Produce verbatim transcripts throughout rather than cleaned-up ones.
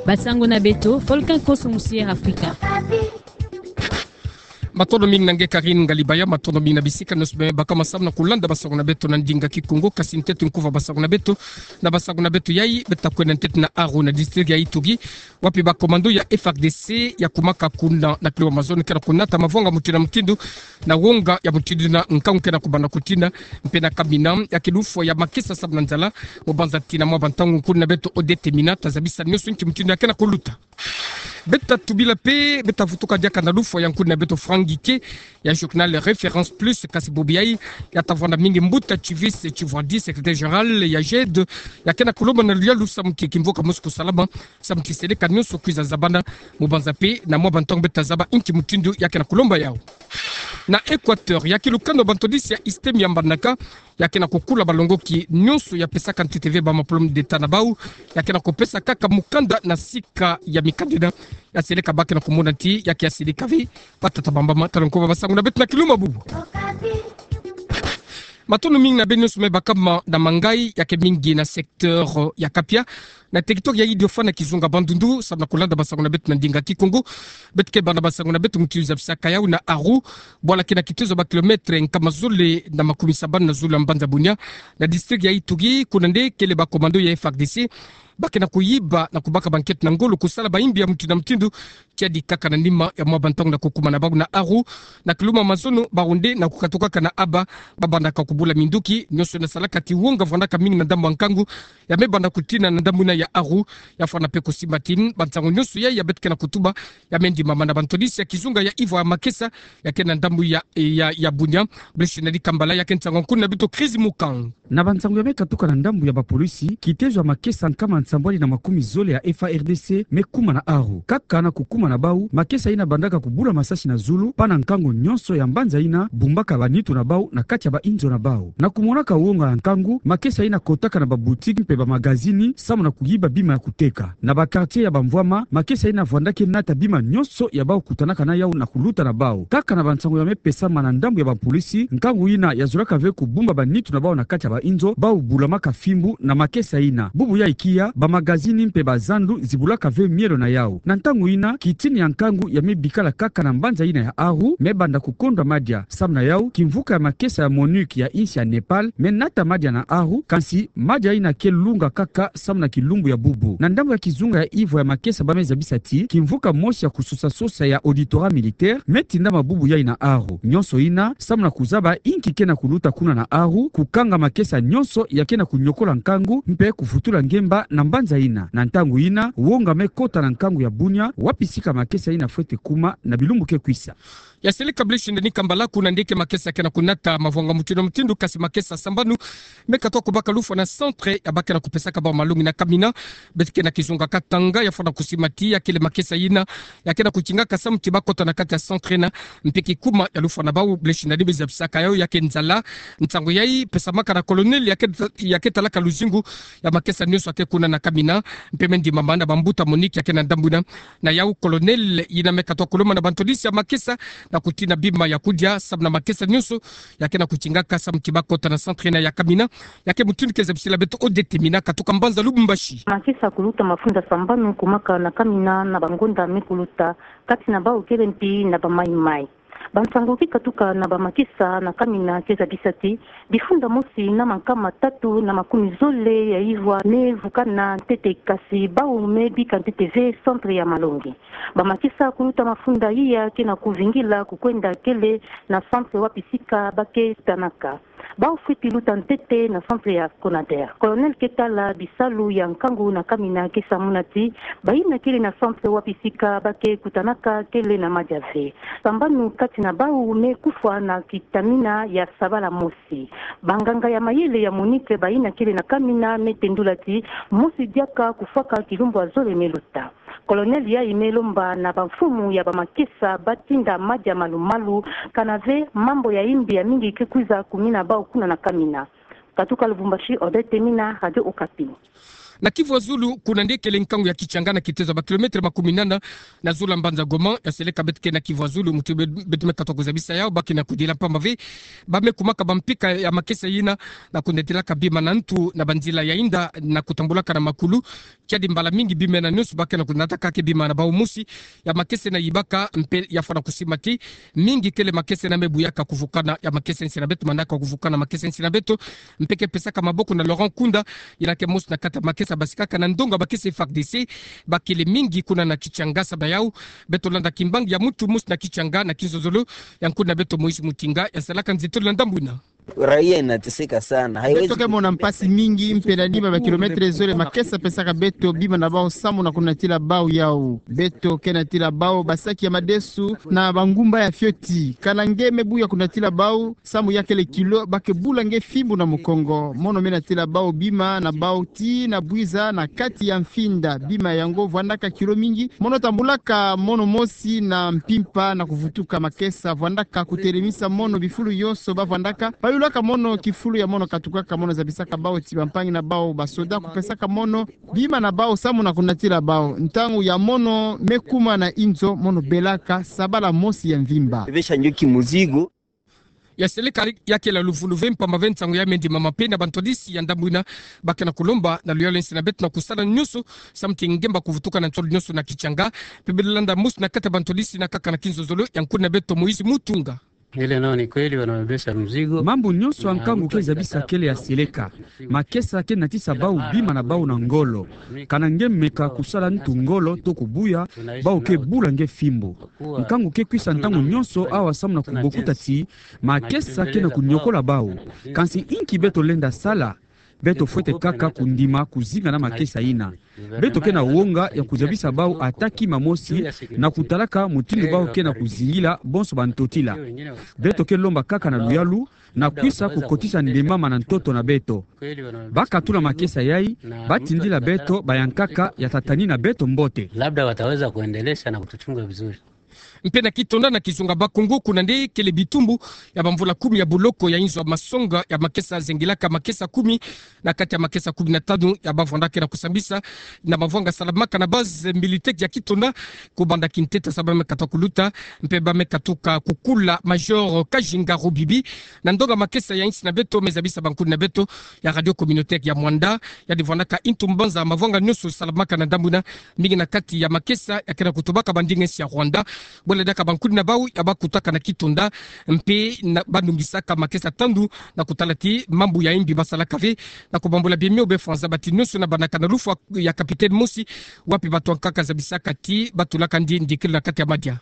Basango na beto, Volcan Koso Musier Afrika. Matondo mingi na nge Karine Ngalibaya, matondo mingi na bisika nionso me baka masamu na kulanda basango na beto na ndinga Kikongo, kasi ntete nkuva basango na beto. Na basango na beto yai, beta kwenda ntete na Aru na district ya Ituri, wapi ba commando ya F A R D C ya kumaka kuna na kiluma mazono ke na kunata mavwanga mutindu na mutindu, na wonga ya mutindu na nkangu ke na kubanda kutina, mpe na kamina ya kilufwa ya makesa samu na nzala, mu banza ti na mwa bantangu nkuna beto Odette Mina ta zabisa nionso nki mutindu ya ke na kuluta. Beta tubila mpe, beta vutuka diaka na lufwa ya nkuna beto Franck Guiquet, ya journal Référence Plus, kasi bubu yai, ya ta vwanda mingi mbuta Chivis Chivwadi, secrétaire général ya GED, ya ke na kulomba na luyalu samu ti kimvuka mosi kusalama, samu ti seleka nionso kwiza zabana, mu banza mpe na mwa bantangu beta zaba nki mutindu ya ke na kulomba yau. Na Équateur, ya kilukano bantodisi ya ISTEM ya mbanaka, ya ke na kukula balongoki nionso ya pesaka ntete ve ba ma diplôme d'État na bau, ya ke na kupesa kaka mukanda na sika ya mikanda ina, ya seleka ba ke na kumona ti ya ke ya silika ve, batata bambama. Tala nkuva basango na beto na kiluma bubu. Matondo mingi na beno nionso me bakama na mangayi, ya ke mingi na secteur ya Kapia, na territoire ya Idiofa na kizunga Bandundu, samu na kulanda basango na beto na ndinga Kikongo. Beto ke banda basango na beto mutindu zabisaka yau na Aru, bwala ke na kitezo ba kilomètre nkama zole na makumisabanu na zole ya mbanza Bunia, na district ya Ituri, kuna nde kele ba commando ya F A R D C ba ke na kuyiba na kubaka ba nkento na ngolo, kusala bayimbi ya mutindu na mutindu, tiadi kaka na nima ya mwa bantangu na kukumana bau na Aru. Na kiluma mazono, bau nde na kukatukaka na aba, ba bandaka kubula minduki, nionso na salaka ti wonga vwandaka mingi na ndambu ya nkangu ya me banda kutina na ndambu ina ya Aru. Ya fwana mpe kusimba ti bansango nionso yai ya beto ke na kutuba, ya me ndimama na bantodisi ya kizunga ya ivwa ya makesa ya ke na ndambu ya, ya, ya Bunia. Blaise Nadi Kambala, ya ke nsangu ya nkuna beto Chris Mukang. Na bansango ya me katuka na ndambu ya bapolisi, kitezo ya makesa nkama nsambwadi na makumi zole ya F A R D C me kuma na Aru. Kaka na kukuma na bau, makesa ina bandaka kubula masasi na zulu, mpa na nkangu nionso ya mbanza ina bumbaka banitu na bau na kati ya bainzo na bau. Na kumonaka wonga ya nkangu, makesa ina kotaka na ba boutique mpe ba magazini, samu na kuyiba bima ya kuteka. Na ba quartier ya bamvwama, makesa ina vwandaka nata bima nionso ya bau kutanaka na yau na kuluta na bau. Kaka na bansango ya me pesama na ndambu ya bapolisi, nkangu ina ya zolaka ve kubumba banitu na bau na kati ya bainzo, bau bulamaka fimbu na makesa ina. Bubu yai kia, ba magazini mpe ba zandu zibulaka ve mielo na yau. Na ntangu ina, kitini ya nkangu ya me bikala kaka na mbanza ina ya Aru, me banda kukondwa madia. Samu na yau, kimvuka ya makesa ya MONUC ya insi ya Népal me nata madia na Aru, kansi madia ina ke lunga kaka samu na kilumbu ya bubu. Na ndambu ya kizunga ya ivwa ya makesa ba me zabisa ti kimvuka mosi ya kusosa-sosa ya auditorat militaire me tindama bubu yai na Aru. Nionso ina samu na kuzaba inki ke na kuluta kuna na Aru, kukanga makesa nionso ya ke na kunyokola nkangu mpe kuvutula ngemba na mbanza ina. Na ntangu ina, wonga me kota na nkangu ya Bunia, wapi sika makesa ina fwete kuma na bilumbu ke kwisa. Ya seleka Blaise Nadi Kambala, kuna nde ke makesa ke na kunata mavwanga mutindu na mutindu, kasi makesa sambanu me katuka kubaka lufwa na centre ya ba ke na kupesaka bau malongi na kamina. Beto ke na kizunga Katanga, ya fwana kusimba ti ya kele makesa ina ya ke na kutingaka samu ti ba kota na kati ya centre ina, mpe kikuma ya lufwa na bau, Blaise Nadi, me zabisaka yau ya ke nzala. Nsangu yai pesamaka na colonel ya ke, ya ke talaka luzingu ya makesa nionso ya ke kuna na kamina, mpe me ndimama na bambuta MONUC ya ke na ndambu ina. Na yau, colonel ina me katuka kulomba na bantodisi ya makesa na kutina bima ya kudia samu na makesa nionso ya ke na kutingaka samu ti ba kota na centre ina ya kamina. Ya ke mutindu ke zabisila beto Odette Mina katuka mbanza Lubumbashi. Makesa kuluta mafunda sambanu kumaka na kamina na bangonda me kuluta, kati na bau kele mpi na bamaimai. Bansango ke katuka na bamakesa na kamina ke zabisa ti bifunda mosi na mankama tatu na makumi zole ya ivwa me vukana ntete, kasi bau me bika ntete ve centre ya malongi. Bamakesa kuluta mafunda iya ke na kuvingila kukwenda kele na centre wapi sika ba ke tanaka. Bau fweti luta ntete na centre ya Conader. Colonel ke tala bisalu ya nkangu na kamina ke samuna ti bayina kele na centre wapi sika ba ke kutanaka kele na madia ve. Sambanu kati na bau me kufwa na kitamina ya sabala mosi. Banganga ya mayele ya MONUC bayina kele na kamina me tendula ti mosi diaka kufwaka kilumbu ya zole me luta. Colonel yai me lomba na bamfumu ya bamakesa ba tinda madia malu-malu, kana ve mambu ya imbi ya mingi ke kwiza kumina bau kuna na kamina. Katuka Lubumbashi, Odette Mina, Radio Okapi. Na Kivu ya Zulu, kuna nde kele nkangu ya Kitchanga na kitezo ya ba kilomètre makumi nana na zulu ya mbanza Goma. Ya seleka beto ke na Kivu ya Zulu, muti be-, beto me katuka kuzabisa yawu, ba ke na kudila mpamba ve ba me kumaka bampika ya makesa yina na kunatilaka bima na ntu na banzila ya inda na kutambulaka na makulu. Kiadi mbala mingi bima yina nyonso ba ke na kunatakaka ke bima na bawu mosi. Ya makesa yina yibaka mpe ya fwana kusimba ti mingi kele makesa yina me buyaka kuvukana ya makesa ya nsi na beto, manaka kuvukana makesa ya nsi na beto. Mpe ke pesaka maboko na Laurent Nkunda, yina ke mosi na kati ya makesa basikaka na ndonga makesa F A R D C. Ba kele mingi kuna na Kitchanga. Sababu na yawu, beto landa kimbangi ya muntu mosi na Kitchanga na kinzonzolo ya nkuna beto Moïse Mutinga, ya salaka nzitolo na ndambu yina. Raia inateseka sana. Haiwezi. Beto ke mona mpasi mingi, mpe na nima ba kilomètre zole makesa pesaka beto bima na bawu samu na kunatila bawu yawu. Beto ke natila bawu basaki ya madesu na bangumba ya fioti. Kana nge me buya kunatila bawu, samu ya kele kilo, ba ke bula nge fimbu na mukongo. Mono me natila bawu bima na bawu tii na bwiza na kati ya mfinda. Bima yango vwandaka kilo mingi. Mono tambulaka mono mosi na mpimpa na kuvutuka makesa. Vwandaka kutelemisa mono bifulu nyonso ba vwandaka. Bayulaka mono kifulu ya mono katukaka. Mono zabisaka bawu ti bampangi na bawu basoda kupesaka mono bima na bawu samu na kunatila bawu. Ntangu ya mono me kuma na inzo, mono belaka sabala mosi ya mvimba. Bebesha njo kimuzigo. Ya seleka ya kele luvunu ve mpamba ve nsangu ya me ndimama mpe na bantwadisi ya ndambu yina. Ba ke na kulomba na luyalu ya nsi na beto na kusala nyonso samu ti ngemba kuvutuka na nsolo nyonso na Kitchanga. Mpe beto landa mosi na kati ya bantwadisi yina kaka na kinzonzolo ya nkuna beto Moïse Mutinga. Ile nao ni kweli wanabebesha mzigo. Mambu nyonso ya nkangu ke zabisa kele ya seleka. Makesa ke natisa bawu bima na bawu na ngolo. Kana nge meka kusala ntu ngolo to kubuya, bawu ke bula nge fimbu. Nkangu ke kwisa ntangu nyonso awa samu na kubokuta ti makesa ke na kunyokola bawu. Kansi inki beto lenda sala? Beto fwete kaka kundima kuzinga na makesa yina. Beto ke na wonga ya kuzabisa bawu ata kima mosi na kutalaka mutindu bawu ke na kuzingila bonso bantotila. Beto ke lomba kaka na luyalu na kwisa kukotisa ndemama na ntoto na beto. Ba katula makesa yayi, ba tindila beto bayankaka ya tatanina beto mbote. Labda wataweza kuendelesha na kutuchunga vizuri. Mpe na Kitonda na kizunga Bas-Congo, kuna nde kele bitumbu ya bamvula kumi ya boloko ya inzo ya masonga ya makesa zengilaka makesa kumi na kati ya makesa kumi na tanu ya ba vwandaka na kusambisa na mavanga salamaka na base militaire ya Kitonda, kubanda kintete sa ba me katuka kuluta, mpe ba me katuka kukula Major Kajinga Rubibi, na ndonga makesa ya nsi na beto, me zabisa bankuni na beto ya radio communautaire ya Muanda, yandi vwandaka ntu mbanza mavanga nyonso salamaka na ndambu yina, mingi na kati ya makesa ya ke na kutubaka bandinga nsi ya Rwanda. Bwela diaka bankuni na bawu ya ba kutaka na Kitonda, mpe na ba nungisaka makesa tandu na kutala ti mambu ya imbi masalaka ve, na kubambula biemio be fwanza bati nyonso na banaka na lufwa ya capitaine mosi, wapi bato ya nkaka zabisaka ti ba tulaka ndi ndikilu na kati ya madia.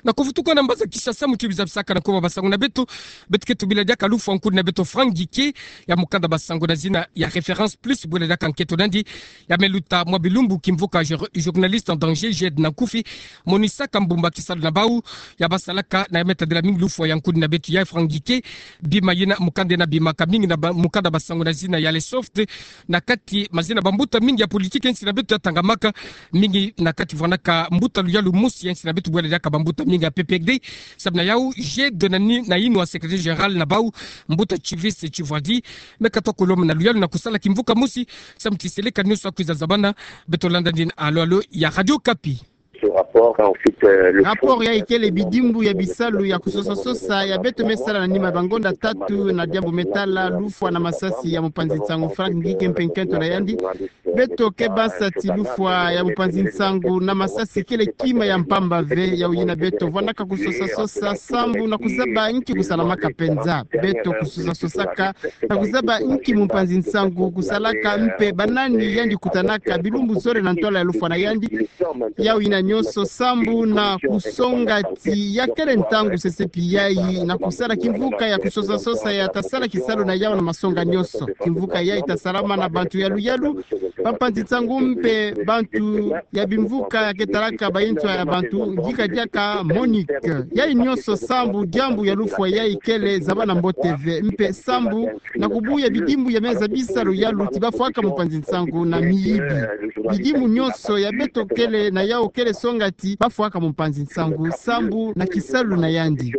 Na kuvutuka na mbanza Kinshasa, muti bi zabisaka na kuba basango na beto, beto ke tubila diaka lufwa nkuni na beto Franck Ngieke ya mukanda basango na zina ya Référence Plus, bwela diaka nketo na yandi ya me luta mwa bilumbu kimvuka jour-, journaliste en danger, J E D na nkufi, monisaka mbumba kisalu na bawu ya ba salaka na ya me tadila mingi lufwa ya nkuni na beto ya Franck Ngieke. Bima yina mukanda yina bimaka mingi na ba-, mukanda basango na zina ya Le Soft, na kati mazina bambuta mingi ya politique ya nsi na beto ya tangamaka, mingi na kati vwandaka mbuta luyalu mosi ya nsi na beto, bwela diaka bambuta mingi ya P P R D. Samu na yawu, J E D na ni-, na yinwa secrétaire général na bawu, mbuta Chivise Chivwadi, me katuka kulomba na luyalu na kusala kimvuka mosi, samu ti seleka nyonso ya kwiza zabana. Beto landa ndina alo alo ya Radio Okapi. Rapport yayi kele bidimbu ya bisalu ya kusosa-sosa ya beto me sala na nima bangonda tatu na diambu me tala lufwa na masasi ya mupanzi nsangu Franck Ngieke mpe nkento na yandi. Beto ke basa ti lufwa ya mupanzi nsangu na masasi kele kima ya mpamba ve, yawu yina beto vwandaka kusosa-sosa sambu na kuzaba nki kusalamaka penza. Beto kusosa-sosaka na kuzaba nki mupanzi nsangu kusalaka mpe banani yandi kutanaka bilumbu zole na ntwala ya lufwa na yandi. Yawu yina nyonso sambu na kusonga ti ya kele ntangu sesepi yayi na kusala kimvuka ya kusosa-sosa ya ta sala kisalu na yawu na masonga nyonso. Kimvuka yayi ta salama na bantu ya luyalu, Bampanzi nsangu mpe bantu ya bimvuka ya ke talaka bayinzo ya bantu, yika diaka Monique. Yayi nionso sambu diambu ya lufwa yayi kele zaba na mbote ve, mpe sambu na kubuya bidimbu ya meza bisalu yalu ti bafwaka mpanzi nsangu na miyibi. Bidimbu nionso ya beto kele na yau kele songa ti bafwaka mpanzi nsangu sambu na kisalu na yandi.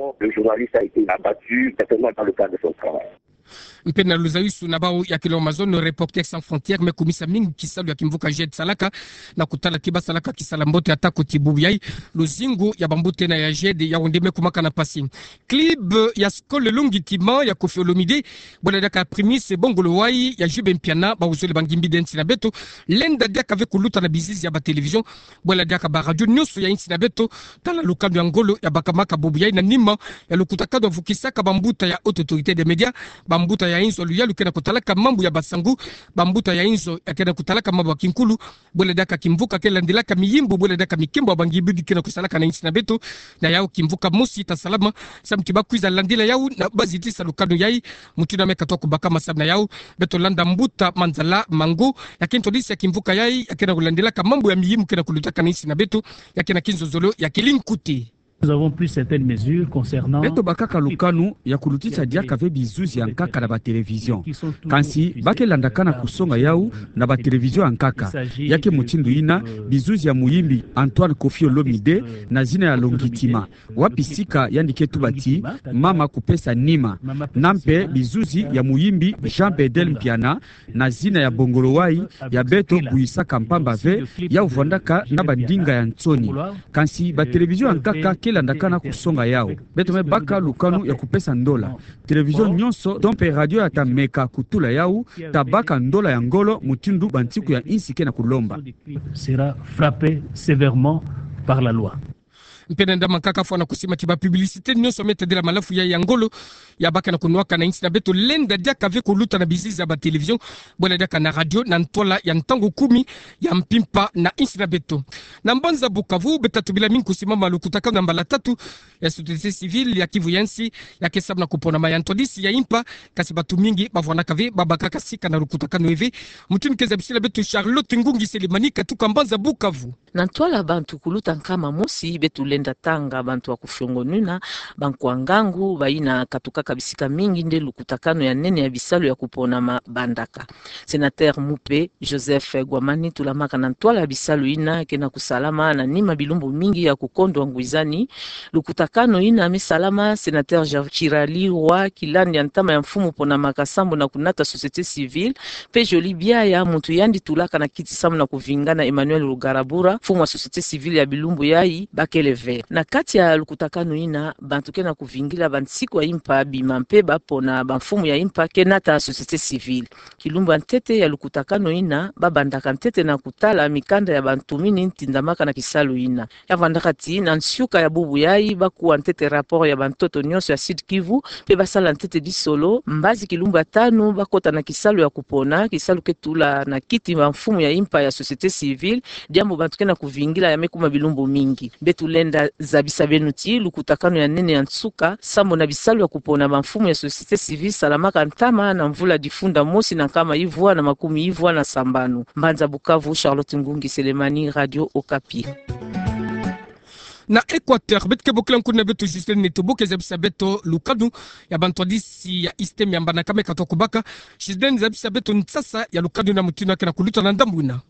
Mpe na luzayusu na bau ya kilo Amazon, Reporters sans frontières me kumisa mingi kisalu ya kimvuka GED salaka, na kutala ti basalaka kisala mbote ata koti bubu yayi, luzingu ya bambuta ena ya GED yau nde me kumaka na mpasi. Club ya Skol Longitima ya Koffi Olomide, bwela diaka Primus Bongoloay ya Jube Mpiana, bau zole bangimbi de nsi na beto, lenda diaka ve kuluta na bizizi ya ba télévision, bwela diaka ba radio nionso ya nsi na beto, tala lukanu ya ngolo ya bakamaka bubu yayi na nima ya lukutakanu ya vukisaka bambuta ya Haute Autorité des Médias, bambuta ya inzo ya luyalu ke na kutalaka mambu ya basangu, bambuta ya inzo ya ke na kutalaka mambu ya kinkulu, bwela diaka kimvuka ke landilaka miyimbu, bwela diaka mikembo ya bangimbi ke na kusalaka na nsi na beto. Na yau kimvuka mosi ta salama, samu ti bakwiza landila yau na bazitisa lukanu yayi, mutindu ya me katuka kubakama. Samu na yau beto landa mbuta Manzala Mango, ya ke ntwadisi ya kimvuka yayi, ya ke na kulandilaka mambu ya miyimbu ke na kulutaka na nsi na beto, ya ke na kinzozolo ya kilinkute. Nous avons pris certaines mesures concernant... Beto bakaka lukanu ya kulutisa diaka ve bizuzi ya nkaka na ba télévision. Kansi ba ke landakana kusonga yau na ba télévision ya nkaka. Ya ke mutindu yina bizuzi ya muyimbi Antoine Koffi Olomide na zina ya Longitima, wapi sika yandi ke tuba ti mama kupesa nima, na mpe bizuzi ya muyimbi Jean Bedel Mpiana na zina ya Bongoloay, ya beto kuyisaka mpamba ve, yau vwandaka na bandinga ya nsoni. Kansi ba télévision ya nkaka ke landakana kusonga yau. Beto me baka lukanu ya kupesa ndola. Télévision nionso to mpe radio ya ta meka kutula yau, ta baka ndola ya ngolo mutindu bansiku ya nsi ke na kulomba. Sera frappé sévèrement par la loi. Mpe na ndambu ya nkaka fwana kusima ti ba publicité nionso me tadila malafu yayi ya ngolo ya ba ke na kunwaka na nsi na beto, lenda diaka ve kuluta na bizizi ya ba télévision, bwela diaka na radio na ntwala ya ntangu kumi ya mpimpa na nsi na beto. Na mbanza Bukavu, beto ta tubila mingi kusimama lukutakanu ya mbala tatu ya société civile ya Kivu ya nsi, ya ke samu na kuponama ya ntwadisi ya impa, kansi bantu mingi bavwandaka ve, babakaka sika na lukutakanu yayi ve. Mutindu ke zabisila beto Charlotte Ngungi Selemani, katuka mbanza Bukavu. Na ntwala bantu kuluta nkama mosi, beto lenda tanga bantu ya kufiongonuna, bankwa ngangu, bayina katukaka bisika mingi nde lukutakanu ya nene ya bisalu ya kuponama bandaka. Sénateur mupe Joseph Gwamani tulamaka na ntwala ya bisalu yina ke na kusalama na nima bilumbu mingi ya kukondwa ngwizani. Lukutakanu yina me salama, sénateur Jean Chirali Roi, kilandi ya ntama ya mfumu ponamaka sambu na kunata société civile, mpe Joly Biaya, muntu yandi tulaka na kiti sambu na kuvingana Emmanuel Rugarabura, mfumu ya société civile ya bilumbu yayi, bakele ve. Na kati ya lukutakanu yina, bantu ke na kuvingila bansiku ya impa bima mpe bapona bamfumu ya impa ke nata société civile. Kilumbu ya ntete ya lukutakanu yina, babandaka ntete na kutala mikanda ya bantu mini tindamaka na kisalu yina. Ya vandaka ti na nsiuka ya bubu yayi, bakuwa ntete rapport ya bantoto nionso ya Sud-Kivu, mpe basala ntete disolo. Mbazi kilumbu ya tanu, bakota na kisalu ya kupona, kisalu ke tula na kiti bamfumu ya impa ya société civile, diambu bantu ke na kuvingila ya me kuma bilumbu mingi. Beto lenda zabisa beno ti lukutakanu ya nene ya nsuka sambu na bisalu ya kupona bamfumu ya société civile salamaka ntama na mvula difunda mosi na nkama ivwa na makumi ivwa na sambanu. Mbanza Bukavu, Charlotte Ngungi Selemani, Radio Okapi. Na Équateur, beto ke bokila nkuna beto Justine Netobo ke zabisa beto lukanu ya bantwadisi ya ISTEM ya mbandaka me katuka kubaka. Justine, zabisa beto nsasa ya lukanu na mutindu ya ke na kuluta na ndambu yina.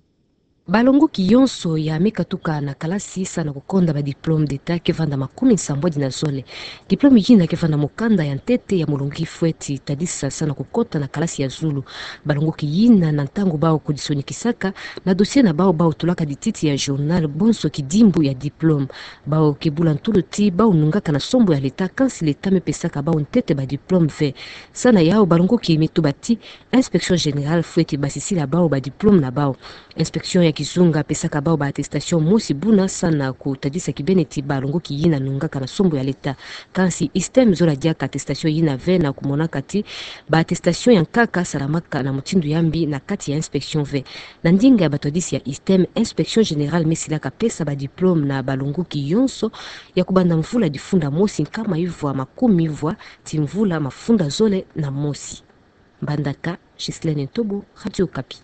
Balongoki yonso ya me katuka na kalasi sa na kukonda ba diplôme d'État ke vanda makumi nsambwadi na zole. Diplôme yina ke vanda mokanda ya ntete ya molongi fweti tadisa sa na kukota na kalasi ya zulu. Balongoki yina na ntangu bau kudisonikisaka na dossier na bau, bau tulaka dititi ya journal bonso kidimbu ya diplôme. Bau ke bula ntulu ti bau nungaka na sombo ya l'État, kansi l'État me pesaka bau ntete ba diplôme ve. Sa na yau balongoki me tuba ti Inspection générale fweti basisila bau ba diplôme na bau. Inspection ya kizunga pesaka bau ba attestation mosi buna sa na kutadisa kibeni ti balongoki yina nungaka na sombo ya l'État. Kansi ISTEM zola diaka attestation yina ve na kumonaka ti ba attestation ya nkaka salamaka na mutindu ya mbi na kati ya inspection ve. Na ndinga ya batwadisi ya ISTEM, Inspection générale me silaka pesa ba diplôme na balongoki yonso ya kubanda mvula difunda mosi nkama ivwa makumi ivwa ti mvula mafunda zole na mosi. Mbandaka, Ghislaine Ntobo, Radio Okapi.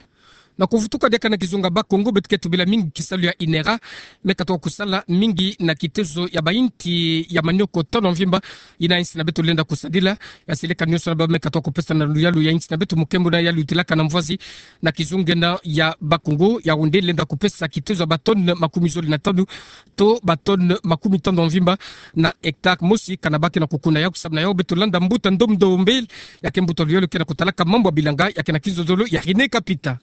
Na kuvutuka diaka na kizunga Bas-Congo, beto ke tubila mingi kisalu ya INERA, me katoka kusala mingi na kitezo ya bainti ya manioko tano mvimba, ina insi na beto lenda kusadila. Ya seleka nionso na baba me katoka kupesa na luyalu ya insi na beto, mukembo na ya lutilaka na mvwazi na kizunga ena ya Bas-Congo, Yaoundé lenda kupesa kitezo ya ba tonnes makumi zole na tano to ba tonnes makumi tano mvimba na hectare mosi, kana ba ke na kukuna yau. Kusamu na yau beto landa mbuta Ndomdo Mbele, ya ke mbuta luyalu ke na kutalaka mambu ya bilanga, ya ke na kizozolo ya René Kapita.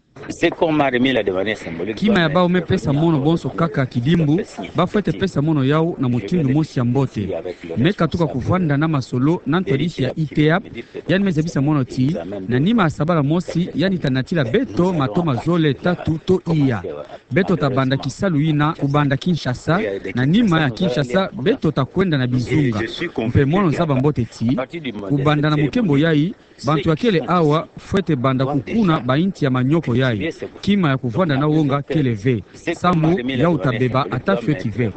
Kima ya bau me pesa mono bonso kaka kidimbu, ba fwete pesa mono yau na mutindu mosi ya mbote. Me katuka kuvwanda na masolo na ntwadisi ya ITEAP, yandi me zabisa mono ti, na nima ya sabala mosi, yandi ta natila beto matoma zole tatu to iya. Beto ta banda kisalu yina kubanda Kinshasa, na nima ya Kinshasa beto ta kwenda na bizunga. Mpe mono zaba mbote ti, kubanda na mukembo yayi, bantu ya kele awa fwete banda kukuna bainti ya manioko yayi. Kima ya kuvwanda na wonga kele ve. Samu yau ta beba ata fioti ve.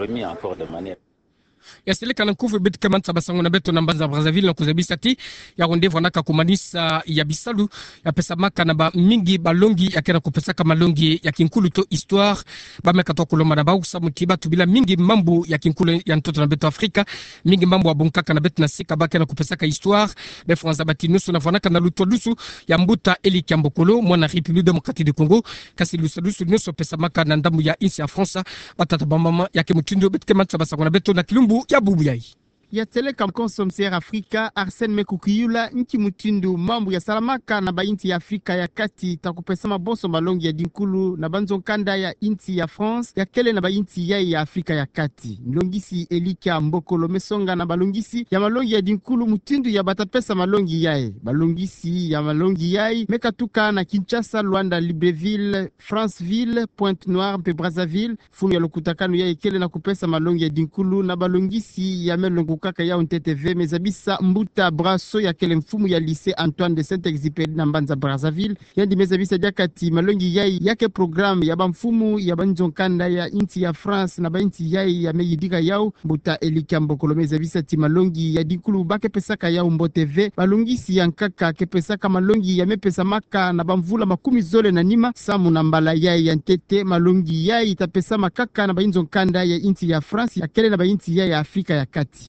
Ya seleka na nkufi beto ke manisa basango na beto na mbanza Brazzaville na kuzabisa ti, Yaoundé vwanaka kumanisa ya bisalu ya pesamaka na bamingi balongi ya ke na kupesaka malongi ya kinkulu to histoire. Ba me katoka kulomba na bau samu ti ba tubila mingi mambu ya kinkulu ya ntoto na beto Afrika, mingi mambu ya bunkaka na beto na sika ba ke na kupesaka histoire. Beto fwanza bati nionso na vwanaka na lutwadusu ya mbuta Eli Kiambokolo, mwana République Démocratique du Congo, kasi lutwadusu nionso pesamaka na ndambu ya insi ya France. Batata bamama, ya ke mutindu beto ke manisa basango na beto na kilumbu ya bubu yayi. Ya seleka konso msiere Afrika, Arsène Mekukiyula, nki mutindu mambu ya salamaka na bainsi ya Afrika ya Kati ta kupesama bonso malongi ya dinkulu na banzo nkanda ya insi ya France ya kele na bainsi yayi ya Afrika ya Kati. Nlongisi Eli Kiambokolo me songa na balongisi ya malongi ya dinkulu mutindu ya ba ta pesa malongi yayi. Balongisi ya malongi yayi me katuka na Kinshasa, Luanda, Libreville, Franceville, Pointe-Noire mpe Brazzaville. Funu ya lukutakanu yayi kele na kupesa malongi ya dinkulu na balongisi ya me longokaka yau ntete ve, me zabisa mbuta Brasseaux ya kele mfumu ya lycée Antoine de Saint-Exupéry na mbanza Brazzaville. Yandi me zabisa diaka ti malongi yayi ya ke programme ya bamfumu ya banzo nkanda ya insi ya France na bainsi yayi ya me yidika yau. Mbuta Eli Kiambokolo me zabisa ti malongi ya dinkulu ba ke pesaka yau mbote ve. Balongisi ya nkaka ke pesaka malongi ya me pesamaka na bamvula makumi zole na nima, samu na mbala yayi ya ntete malongi yayi ta pesama kaka na bainzo nkanda ya insi ya France ya kele na bainsi yayi ya Afrika ya Kati.